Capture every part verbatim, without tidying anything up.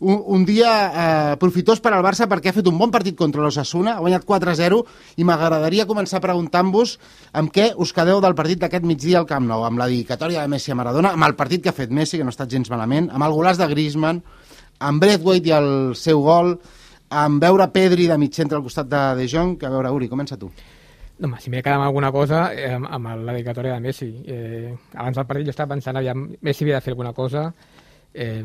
Un, un dia eh, profitós per al Barça perquè ha fet un bon partit contra l'Osasuna, ha guanyat quatre a zero, i m'agradaria començar preguntant-vos amb què us quedeu del partit d'aquest migdia al Camp Nou, amb la dedicatòria de Messi a Maradona, amb el partit que ha fet Messi, que no ha estat gens malament, amb el golaç de Griezmann, amb Braithwaite i el seu gol, amb veure Pedri de mig centre al costat de De Jong. Que a veure, Uri, comença tu. No, si m'he quedat amb alguna cosa, eh, amb, amb la dedicatòria de Messi. Eh, abans del partit jo estava pensant, aviam, Messi havia de fer alguna cosa, eh,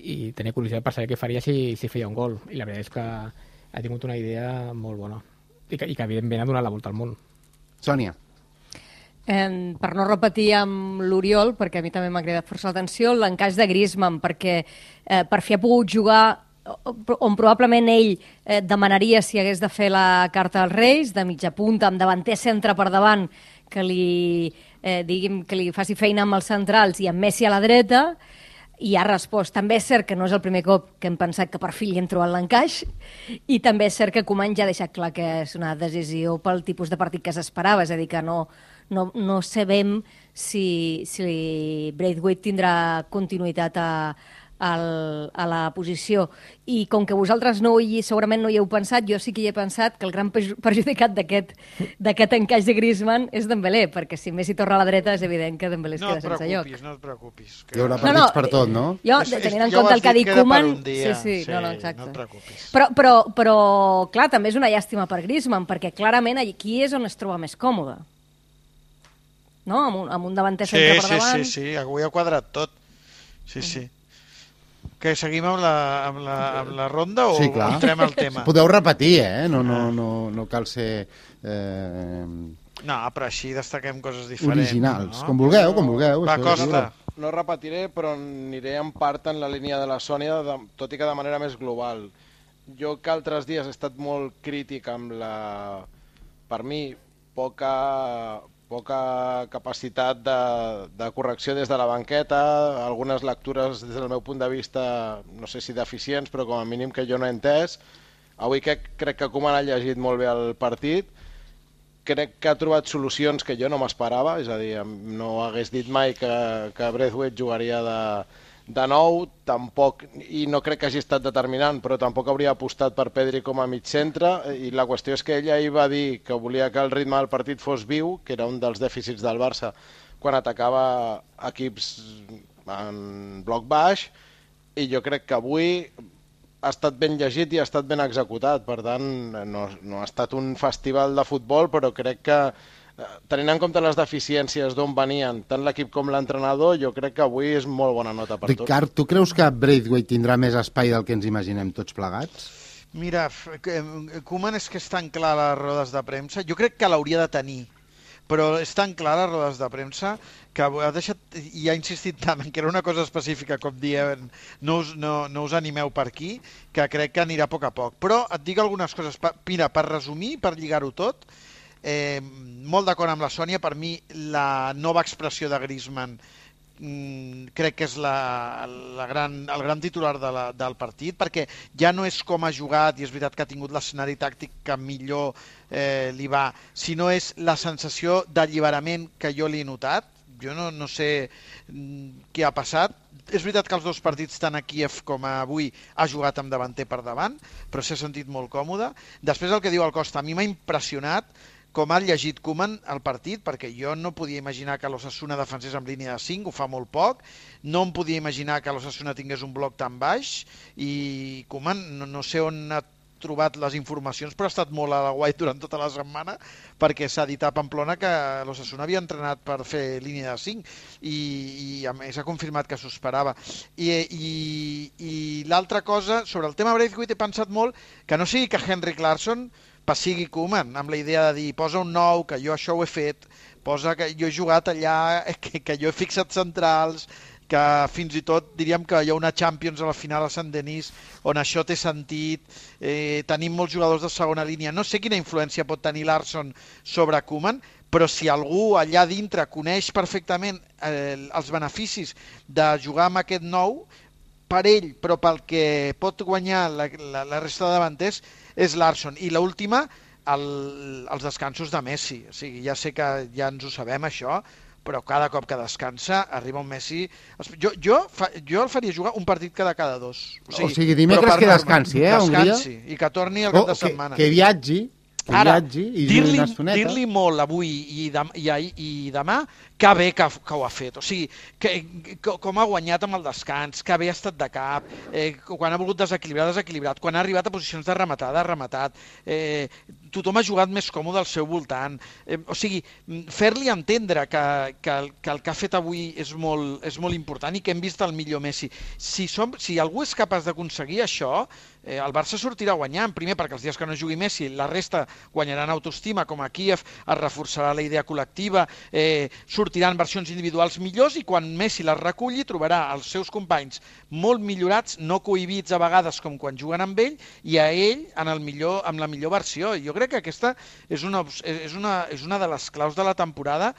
i tenia curiositat per saber què faria si, si feia un gol, i la veritat és que ha tingut una idea molt bona i que, i que evidentment ha donat la volta al món. Sònia. Eh, per no repetir amb l'Oriol, perquè a mi també m'ha cridat força l'atenció, l'encaix de Griezmann, perquè eh, per fi ha pogut jugar on probablement ell eh, demanaria si hagués de fer la carta als Reis, de mitja punta, amb davanter centre per davant, que li, eh, diguem, que li faci feina amb els centrals i amb Messi a la dreta, i ha respost. També és cert que no és el primer cop que hem pensat que per fi li hem trobat l'encaix, i també és cert que Koeman ja ha deixat clar que és una decisió pel tipus de partit que s'esperava, és a dir, que no, no, no sabem si, si Braithwaite tindrà continuïtat a, al, a la posició. I com que vosaltres no hi, segurament no hi heu pensat, jo sí que hi he pensat que el gran perjudicat d'aquest encaix de Griezmann és Dembélé, perquè si Messi torna a la dreta és evident que Dembélé es no queda sense lloc. No et preocupis, no et preocupis. Que... Hi haurà partits no, no, per tot, no? Jo, tenint en compte el que ha dit Koeman... Sí, sí, sí, no, no, exacte. No et preocupis. Però, però, però, clar, també és una llàstima per Griezmann, perquè clarament aquí és on es troba més còmode. No? Amb un, amb un davanter sí, centre per sí, davant. Sí, sí, sí, avui ha quadrat tot. Sí, sí. Que seguim amb la, amb la, amb la ronda o sí, entrem al tema? Podeu repetir, eh? No, no, no, no cal ser... Eh... No, però així destaquem coses diferents. Originals, no? com vulgueu, com vulgueu. Va, Costa. No repetiré, però aniré en part en la línia de la Sònia, de, tot i que de manera més global. Jo que altres dies he estat molt crític amb la, per mi, poca... poca capacitat de, de correcció des de la banqueta, algunes lectures des del meu punt de vista, no sé si deficients, però com a mínim que jo no he entès. Avui que, crec que Koeman ha llegit molt bé el partit, crec que ha trobat solucions que jo no m'esperava, és a dir, no hagués dit mai que, que Braithwaite jugaria de, de nou, tampoc, i no crec que hagi estat determinant, però tampoc hauria apostat per Pedri com a mig centre, i la qüestió és que ella ahir va dir que volia que el ritme del partit fos viu, que era un dels dèficits del Barça quan atacava equips en bloc baix, i jo crec que avui ha estat ben llegit i ha estat ben executat, per tant no, no ha estat un festival de futbol, però crec que tenint en compte les deficiències d'on venien tant l'equip com l'entrenador, jo crec que avui és molt bona nota per tots. Ricard, tu creus que Braithwaite tindrà més espai del que ens imaginem tots plegats? Mira, Koeman és que és tan clar a les rodes de premsa, jo crec que l'hauria de tenir, però és tan clar a les rodes de premsa que ha deixat i ha insistit tant en que era una cosa específica com dient no us, no, no us animeu per aquí, que crec que anirà a poc a poc. Però et dic algunes coses, mira, per resumir, per lligar-ho tot, Eh, molt d'acord amb la Sònia, per mi la nova expressió de Griezmann mm, crec que és la, la gran, el gran titular de la, del partit, perquè ja no és com ha jugat, i és veritat que ha tingut l'escenari tàctic que millor eh, li va, sinó és la sensació d'alliberament que jo li he notat. Jo no, no sé mm, què ha passat. És veritat que els dos partits, tant a Kíev com a avui, ha jugat amb davanter per davant, però s'ha sentit molt còmode. Després el que diu el Costa, a mi m'ha impressionat com ha llegit Koeman el partit, perquè jo no podia imaginar que l'Osasuna defensés amb línia de cinc, ho fa molt poc, no em podia imaginar que l'Osasuna tingués un bloc tan baix, i Koeman no, no sé on ha trobat les informacions, però ha estat molt a la guai durant tota la setmana, perquè s'ha dit a Pamplona que l'Osasuna havia entrenat per fer línia de cinc, i, i a més ha confirmat que s'ho esperava. I, i, i l'altra cosa, sobre el tema Braithwaite he pensat molt que no sigui que Henrik Larsson passigui Koeman, amb la idea de dir posa un nou, que jo això ho he fet, posa que jo he jugat allà, que, que jo he fixat centrals, que fins i tot diríem que hi ha una Champions a la final a Sant Denis on això té sentit, eh, tenim molts jugadors de segona línia, no sé quina influència pot tenir Larsson sobre Koeman, però si algú allà dintre coneix perfectament eh, els beneficis de jugar amb aquest nou, per ell, però pel que pot guanyar la, la, la resta de davanters, és Larsson. I l'última, el, els descansos de Messi. O sigui, ja sé que ja ens ho sabem, això, però cada cop que descansa arriba un Messi... Jo, jo, fa, jo el faria jugar un partit cada cada dos. O sigui, o sigui dimecres que descansi, eh, un dia. Descansi, i que torni al cap oh, de setmana. Que, que viatgi, que Ara, viatgi i dir-li una estoneta. dir-li molt avui i, dem, i, ahir, i demà que bé que, que ho ha fet, o sigui, que, que, com ha guanyat amb el descans, que bé ha estat de cap, eh, quan ha volgut desequilibrar, desequilibrat, quan ha arribat a posicions de rematar, de rematat, eh, tothom ha jugat més còmode al seu voltant, eh, o sigui, fer-li entendre que, que, el, que el que ha fet avui és molt, és molt important i que hem vist el millor Messi. Si, som, si algú és capaç d'aconseguir això, eh, el Barça sortirà guanyant, primer perquè els dies que no jugui Messi, la resta guanyaran autoestima, com a Kíev, es reforçarà la idea col·lectiva, eh, sortiran versions individuals millors i quan Messi les reculli trobarà els seus companys molt millorats, no cohibits a vegades com quan juguen amb ell, i a ell en el millor, amb la millor versió. Jo crec que aquesta és una, és una, és una de les claus de la temporada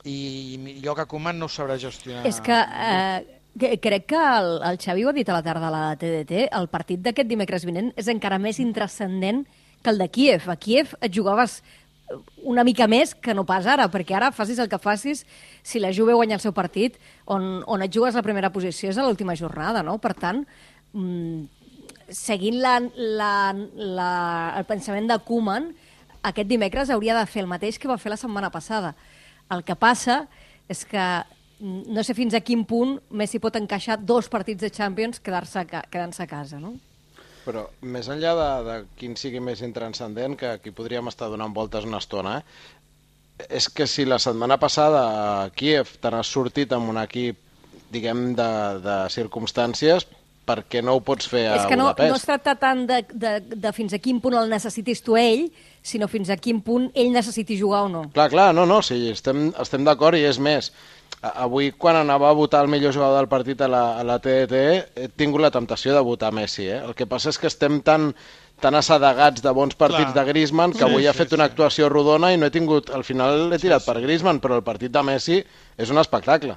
i jo que Koeman no ho sabrà gestionar. És que... Eh... Crec que el, el Xavi ho ha dit a la tarda a la T D T, el partit d'aquest dimecres vinent és encara més intrascendent que el de Kíev. A Kíev et jugaves una mica més que no pas ara, perquè ara facis el que facis, si la Juve guanya el seu partit, on, on et jugues la primera posició és a l'última jornada, no? Per tant, mmm, seguint la, la, la, el pensament de Koeman, aquest dimecres hauria de fer el mateix que va fer la setmana passada. El que passa és que no sé fins a quin punt Messi pot encaixar dos partits de Champions quedar-se quedant-se a casa, no? Però més enllà de, de quin sigui més intranscendent, que aquí podríem estar donant voltes una estona, eh? És que si la setmana passada a Kíev te n'has sortit amb un equip, diguem, de, de circumstàncies, per què no ho pots fer a Budapest? És que no, no es tracta tant de, de, de fins a quin punt el necessitis tu ell, sinó fins a quin punt ell necessiti jugar o no. Clar, clar, no, no, sí, estem, estem d'acord i és més. Avui, quan anava a votar el millor jugador del partit a la, a la T D T, he tingut la temptació de votar Messi. Eh? El que passa és que estem tan, tan assedegats de bons partits Clar. de Griezmann que sí, avui sí, ha fet sí. una actuació rodona i no he tingut... Al final he tirat sí, sí. per Griezmann, però el partit de Messi és un espectacle.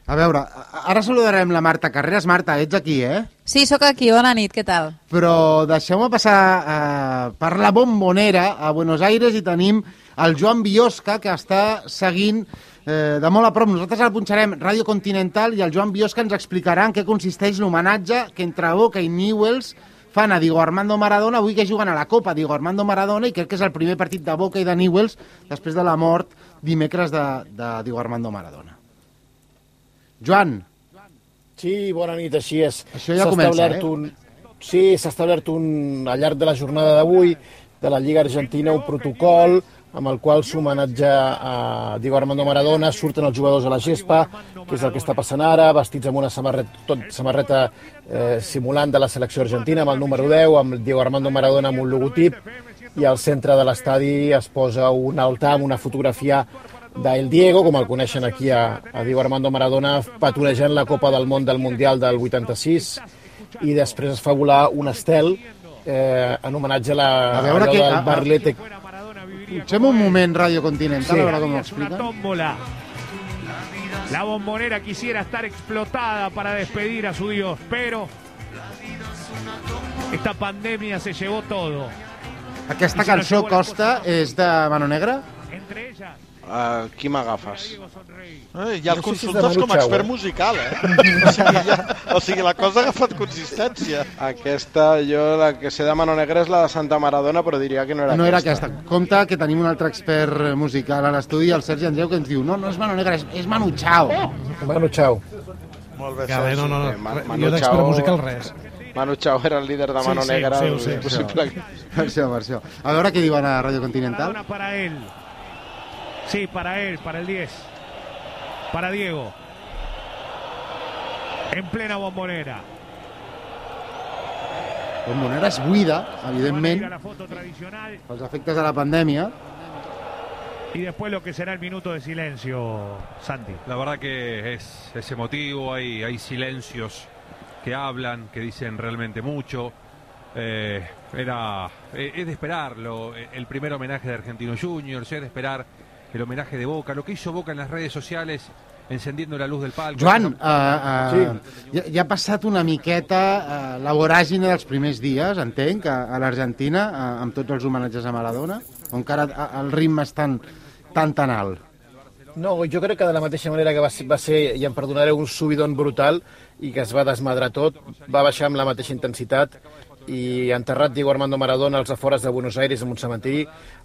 A veure, ara saludarem la Marta Carreras. Marta, ets aquí, eh? Sí, sóc aquí. Bona nit, què tal? Però deixeu-me passar eh, per la Bombonera a Buenos Aires i tenim el Joan Biosca, que està seguint eh, de molt a prop. Nosaltres el punxarem Ràdio Continental i el Joan Biosca ens explicarà en què consisteix l'homenatge que entre Boca i Newell's fan a Diego Armando Maradona, avui que juguen a la Copa Diego Armando Maradona, i crec que és el primer partit de Boca i de Newell's després de la mort dimecres de, de Diego Armando Maradona. Joan. Sí, bona nit, així és. Això ja comença, eh? Un... Sí, s'ha establert un, al llarg de la jornada d'avui de la Lliga Argentina un protocol amb el qual s'homenatja a Diego Armando Maradona, surten els jugadors a la gespa, que és el que està passant ara, vestits amb una samarreta, tot, samarreta eh, simulant de la selecció argentina, amb el número deu, amb Diego Armando Maradona amb un logotip, i al centre de l'estadi es posa un altar amb una fotografia d'El Diego, com el coneixen aquí a, a Diego Armando Maradona, patrulejant la Copa del Món del Mundial del vuitanta-sis, i després es fa volar un estel eh, en homenatge a la a veure que, del Barlete. Fem un moment Ràdio Continental, sí. A veure com ho explica. La Bombonera quisiera estar explotada para despedir a su Dios, pero esta pandemia se llevó todo. Aquesta cançó, Costa, és de Mano Negra? Entre ellas Aquí m'agafes. Eh, ja el consultes com a expert musical, eh? O sigui, ja, o sigui, la cosa ha agafat consistència. Aquesta, jo la que sé de Mano Negra és la de Santa Maradona, però diria que no era no aquesta. No era aquesta. Compte que tenim un altre expert musical a l'estudi, el Sergi Andreu, que ens diu no, no és Mano Negra, és, és Manu Chao. Oh! Manu Chao. Molt bé, Sergi. No, no, no. Eh, Man, Manu jo d'expert Chao... musical res. Manu Chao era el líder de Mano sí, sí, Negra. Sí, sí, sí, sí, per això, per això. A veure què diuen a Ràdio Continental. Maradona para él. Sí, para él, para el diez. Para Diego. En plena Bombonera. Bombonera és buida, evidentment, pels efectes de la pandèmia. Y después lo que será el minuto de silencio, Santi. La verdad que es, es emotivo, hay, hay silencios que hablan, que dicen realmente mucho. Eh, era, eh, es de esperarlo, el primer homenaje de Argentinos Juniors, es de esperar el homenaje de Boca, lo que hizo Boca en las redes sociales, encendiendo la luz del palco. Joan, uh, uh, sí. ja, ja ha passat una miqueta uh, la voràgine dels primers dies, entenc, a, a l'Argentina, uh, amb tots els homenatges a Maradona, o encara uh, el ritme és tan, tan, tan alt? No, jo crec que de la mateixa manera que va ser, va ser i em perdonareu, un subidon brutal i que es va desmadrar tot, va baixar amb la mateixa intensitat i enterrat Diego Armando Maradona als afores de Buenos Aires en un cementiri.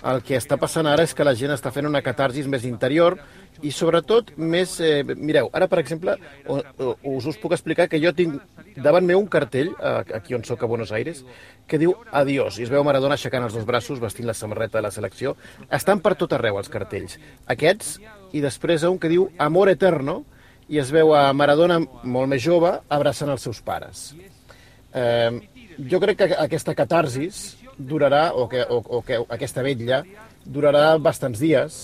El que està passant ara és que la gent està fent una catarsis més interior i sobretot més... Eh, mireu, ara per exemple o, o, us us puc explicar que jo tinc davant meu un cartell, aquí on soc a Buenos Aires, que diu adiós, i es veu Maradona aixecant els dos braços, vestint la samarreta de la selecció. Estan per tot arreu els cartells. Aquests, i després un que diu amor eterno, i es veu a Maradona molt més jove abraçant els seus pares. Eh, jo crec que aquesta catarsis durarà, o que, o, o que aquesta vetlla durarà bastants dies,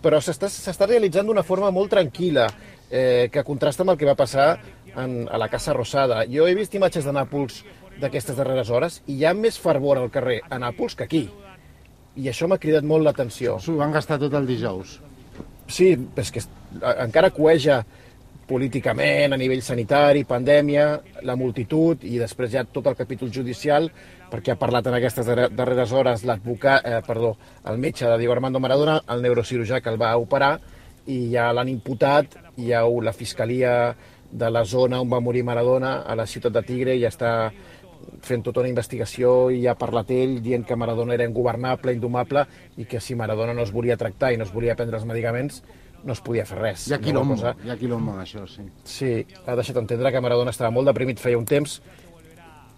però s'està realitzant d'una forma molt tranquil·la, eh, que contrasta amb el que va passar en, a la Casa Rosada. Jo he vist imatges de Nàpols d'aquestes darreres hores i hi ha més fervor al carrer a Nàpols que aquí. I això m'ha cridat molt l'atenció. S'ho van gastar tot el dijous. Sí, és que encara cueja políticament, a nivell sanitari, pandèmia, la multitud i després ja tot el capítol judicial, perquè ha parlat en aquestes darreres hores l'advocat, eh, perdó, el metge de Diego Armando Maradona, el neurocirurgià que el va operar, i ja l'han imputat, i ja la fiscalia de la zona on va morir Maradona, a la ciutat de Tigre, ja està fent tota una investigació i ha parlat ell dient que Maradona era ingovernable, indomable, i que si Maradona no es volia tractar i no es volia prendre els medicaments, no es podia fer res. Hi ha quilombo, hi ha quilombo d'això, sí. Sí, ha deixat entendre que Maradona estava molt deprimit feia un temps,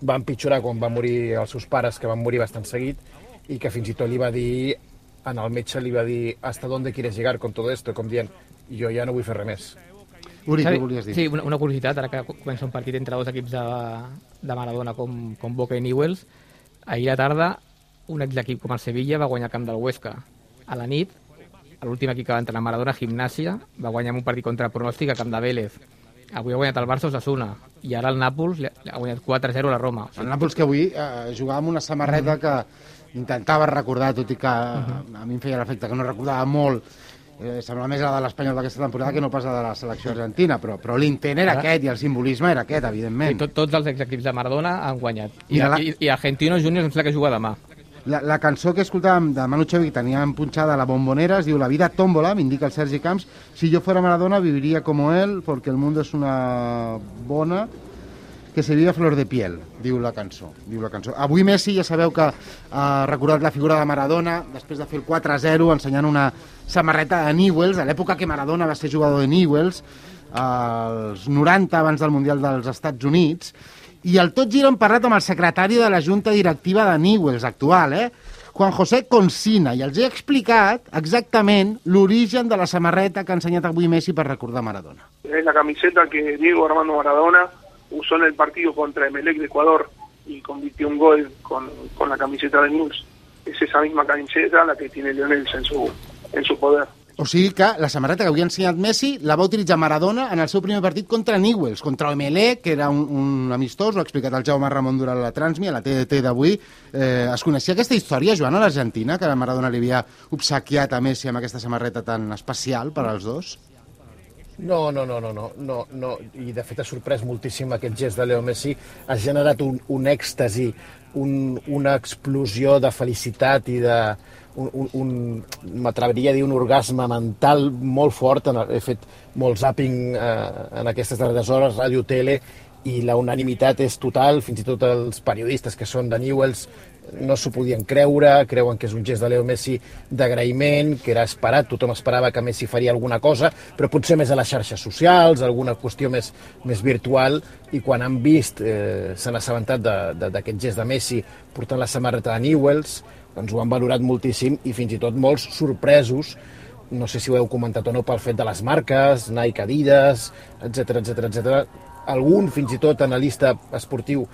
va empitjorar quan van morir els seus pares, que van morir bastant seguit, i que fins i tot li va dir, en el metge li va dir hasta dónde quieres llegar con todo esto, com dient, jo ja no vull fer res més. Uri, què volies dir? Sí, una, una curiositat, ara que comença un partit entre dos equips de, de Maradona com, com Boca i Newell's, ahir a la tarda un exequip com el Sevilla va guanyar el camp del Huesca. A la nit, l'últim equip que va entrar a Maradona, Gimnàsia, va guanyar un partit contra pronòstic a camp de Vélez. Avui ha guanyat el Barça Osasuna i ara el Nàpols ha guanyat quatre a zero a la Roma. El Nàpols que avui eh, jugava amb una samarreta mm. que intentava recordar, tot i que mm-hmm. a mi em feia l'efecte que no recordava molt, eh, semblava més la de l'Espanyol d'aquesta temporada que no pas la de la selecció argentina, però, però l'intent era aquest i el simbolisme era aquest, evidentment. Sí, tot, tots els exequips de Maradona han guanyat. I, la... i, i Argentinos Juniors em sembla que juga demà. La, la cançó que escoltàvem de Manu Chao, que teníem punxada a la bombonera, es diu La vida tómbola, m'indica el Sergi Camps. Si yo fuera Maradona viviría como él, porque el mundo es una bona que se vive a flor de piel, diu la cançó. Diu la cançó. Avui Messi, ja sabeu que ha recordat la figura de Maradona, després de fer el quatre a zero, ensenyant una samarreta de Newell's, a l'època que Maradona va ser jugador de Newell's, als noranta, abans del Mundial dels Estats Units, i el tot gira hem parlat amb el secretari de la Junta Directiva de Newell's actual, eh? Juan José Consina, i els he explicat exactament l'origen de la samarreta que ha ensenyat avui Messi per recordar Maradona. Es la camiseta que Diego Armando Maradona usó en el partido contra Emelec de Ecuador y convirtió un gol con, con la camiseta de Newell's. Es esa misma camiseta la que tiene Lionel en su, en su poder. O sigui que la samarreta que avui ha ensenyat Messi la va utilitzar Maradona en el seu primer partit contra Newell's, contra Emelec, que era un, un amistós, ho ha explicat el Jaume Ramon durant la Transmi, a la T D T d'avui. Eh, es coneixia aquesta història, Joan, a l'Argentina, que Maradona li havia obsequiat a Messi amb aquesta samarreta tan especial per als dos? No, no, no, no, no, no, no. I de fet ha sorprès moltíssim aquest gest de Leo Messi, ha generat un, un èxtasi, un, una explosió de felicitat i de... un, un, un m'atreviria a dir un orgasme mental molt fort. He fet molt zàping eh, en aquestes darreres hores, ràdio, tele, i la unanimitat és total. Fins i tot els periodistes que són de Newell's no s'ho podien creure, creuen que és un gest de Leo Messi d'agraïment, que era esperat, tothom esperava que Messi faria alguna cosa, però potser més a les xarxes socials, alguna qüestió més, més virtual, i quan han vist, eh, s'han assabentat d'aquest gest de Messi portant la samarreta de Newell's, doncs ho han valorat moltíssim i fins i tot molts sorpresos, no sé si ho heu comentat o no, pel fet de les marques, Nike, Adidas, etcètera, etcètera, etcètera. Algun, fins i tot, analista esportiu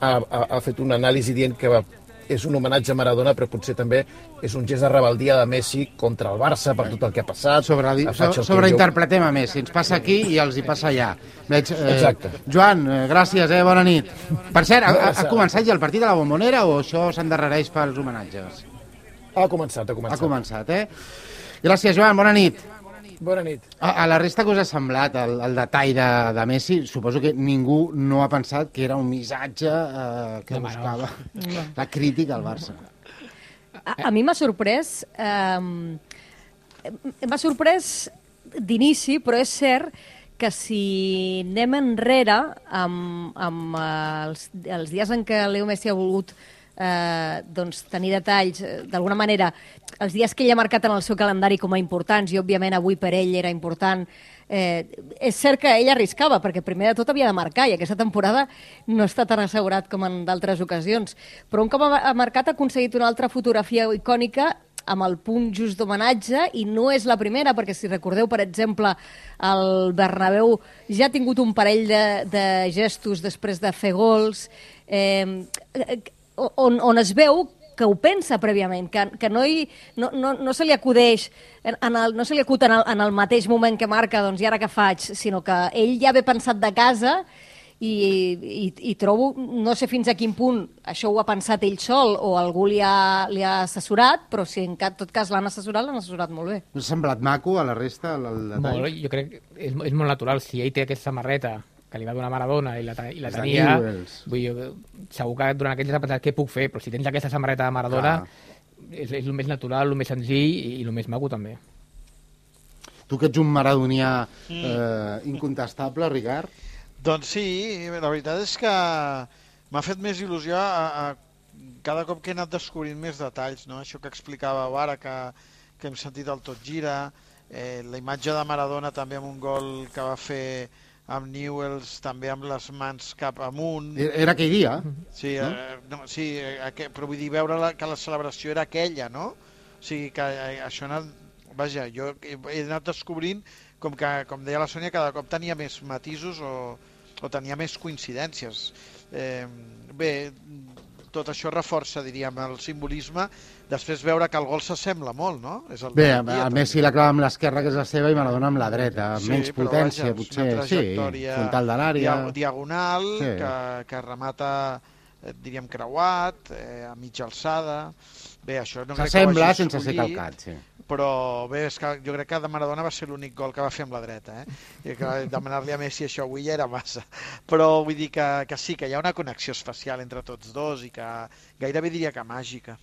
ha, ha, ha fet una anàlisi dient que va, és un homenatge a Maradona, però potser també és un gest de rebeldia de Messi contra el Barça per tot el que ha passat. Sobre, so, sobreinterpretem a Messi, ens passa aquí i els hi passa allà. Veig, eh, Exacte. Joan, eh, gràcies, eh, bona nit. Per cert, ha, ha començat ja el partit de la Bombonera o això s'endarrereix pels homenatges? Ha començat, ha començat. Ha començat, eh? Gràcies, Joan, bona nit. Bona nit. A, a la resta que us ha semblat el, el detall de, de Messi, suposo que ningú no ha pensat que era un missatge eh, que no, buscava no. la crítica al Barça. A, a mi m'ha sorprès... Eh, m'ha sorprès d'inici, però és cert que si anem enrere amb, amb els, els dies en què Leo Messi ha volgut eh, doncs, tenir detalls, d'alguna manera, els dies que ell ha marcat en el seu calendari com a importants, i òbviament avui per ell era important, eh, és cert que ell arriscava, perquè primer de tot havia de marcar, i aquesta temporada no està tan assegurat com en d'altres ocasions. Però un cop ha marcat ha aconseguit una altra fotografia icònica amb el punt just d'homenatge, i no és la primera, perquè si recordeu, per exemple, el Bernabéu ja ha tingut un parell de, de gestos després de fer gols, eh, on, on es veu que ho pensa prèviament, que, que no, hi, no, no, no se li acudeix, en, en el, no se li acut en el, en el mateix moment que marca, doncs i ara què faig, sinó que ell ja ve pensat de casa, i, i, i trobo, no sé fins a quin punt això ho ha pensat ell sol o algú li ha, li ha assessorat, però si en tot cas l'han assessorat, l'han assessorat molt bé. Us ha semblat maco a la resta, el, el detall? Molt, jo crec que és, és molt natural. Si ell té aquesta samarreta que li va donar Maradona i la, i la És tenia, de Newells. vull dir, segur que durant aquells dies ha pensat què puc fer, però si tens aquesta samarreta de Maradona, és, és el més natural, el més senzill i, i el més maco també. Tu que ets un maradonià eh, incontestable, Ricard? Doncs sí, la veritat és que m'ha fet més il·lusió a, a cada cop que he anat descobrint més detalls, no? Això que explicava ara, que, que hem sentit el Tot Gira, eh, la imatge de Maradona també amb un gol que va fer amb Newells, també amb les mans cap amunt. Era aquell dia? Sí, no? Eh, no, sí eh, però vull dir, veure la, que la celebració era aquella, no? O sigui, que eh, això ha anat... Vaja, jo he anat descobrint, com que, com deia la Sònia, cada cop tenia més matisos o, o tenia més coincidències. Eh, bé, tot això reforça, diríem, el simbolisme. Després veure que el gol s'assembla molt, no? És el Bé, a, a Messi la clava amb l'esquerra, que és la seva, i Maradona amb la dreta. Amb sí, menys potència, vaja, potser. Sí, frontal de l'àrea. Diagonal, sí. que, que remata, eh, diríem, creuat, eh, a mitja alçada. Bé, això no crec que ho hagi sense ser calcat, sí. Però bé, és que jo crec que de Maradona va ser l'únic gol que va fer amb la dreta, eh? I que demanar-li a Messi això avui ja era massa. Però vull dir que, que sí, que hi ha una connexió especial entre tots dos i que gairebé diria que màgica.